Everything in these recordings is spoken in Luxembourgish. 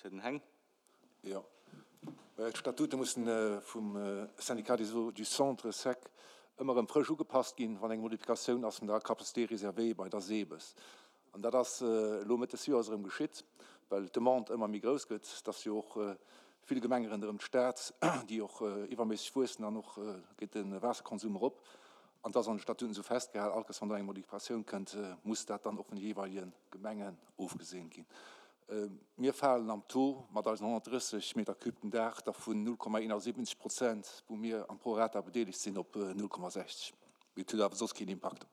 Fir den Heng. Jo. D'Statute mussen vum Syndicat des eaux du Centre, sec, ëmmer erëm frësch ugepasst ginn, wann eng Modifikatioun ass vun der Capacité réservée bei der SEBES. An dat ass elo Mëtt des Joers erëm geschitt, well d'Demande ëmmer méi grouss gëtt. Et ass jo och vill Gemenge ronderëm d'Stad, déi och iwwerméisseg wuessen an och geet de Waasserkonsum erop. An et ass an de Statuten esou festgehalen, all Kéiers wann do eng Modifikatioun kënnt, muss dat dann och vun de jeeweilege Gemengen ofgeseent ginn. Mir falen am Taux mat eisen 130 Meter cube den Dag da vun 0,71 Prozent, wou mir am Prorata bedeelegt sinn, op 0,60. Mee et huet awer soss keen Impakt.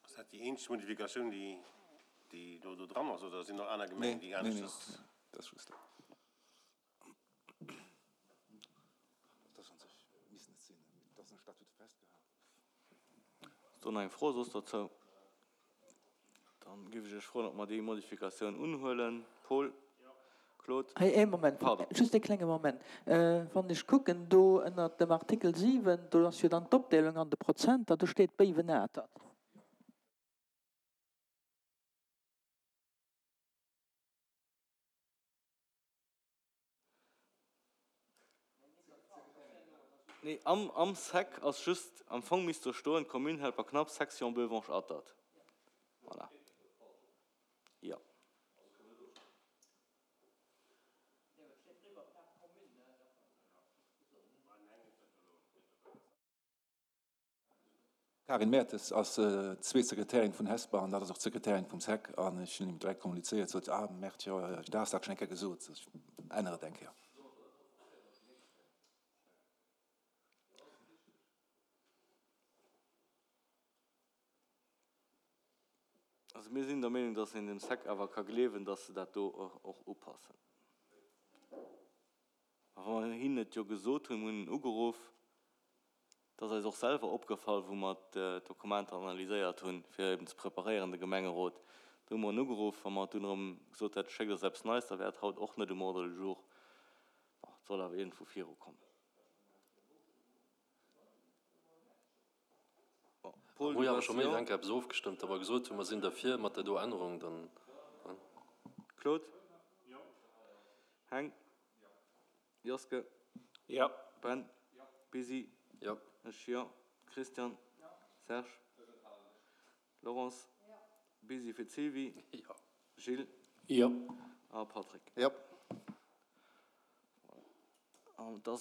Ass dat déi eenzeg Modifikatioun, déi elo do dran ass, oder sinn nach aner Gemengen, déi aneschters? Nee, nee, dat ass just dat. Dat ass an sech, misst net sinn, mee et ass an de Statute festgehalen. Ass do nach eng Fro soss dozou? Dann géif ech Iech froen, ob mer déi Modifikatioun unhuelen. Paul? Claude? Hei, ee Moment, Pardon. just ee klenge Moment. Wann ech kucken do ënnert dem Artikel 7, do ass jo dann d'Opdeelung an de Prozenter, do steet Béiwen-Atert. Nee, am, am Sec ass just, am Fong misst do stoen, D'Commune hält bei knapp Section Beuvange-Atert. Voilà. Jo. D'Karin Mertes ass d'zweet Sekretärin vun Hesper an dat ass och d'Sekretärin vum sec an ech hunn him direkt kommunizéiert, sot, ah Mert, jo, du has dat schonn eng Kéier gesot, ech ännere et eng Kéier. Also mir sinn der Meenung, dass een dem sec awer ka gleewen, dass se dat do och upassen. A wa mer hinnen et jo gesot hunn, mir hunn en ugeruff, et ass eis och selwer opgefall, wou mer d'Dokumenter analyséiert hunn, fir eben ze preparéieren, de Gemengerot, do hu mer en ugeruff, wa mer dunn erëm gesot hätten, schéckt eis eppes Neies, da wär et haut och net um Ordre du jour. Bon, et soll awer iergendwou virukommen. Bon, Paul, du bass jo. Eng Kéier eppes ofgestëmmt, da mer gesot hunn, mer sinn derfir mat där do Ännerung, dann. Claude? Heng? Joske? Jo. Ben? Busy? Jo. Ech jo. Christian? Serge? Laurence? Busy fir d'Sylvie? Jo. Gilles? Jo. A Patrick? Jo. Voilà. An et ass.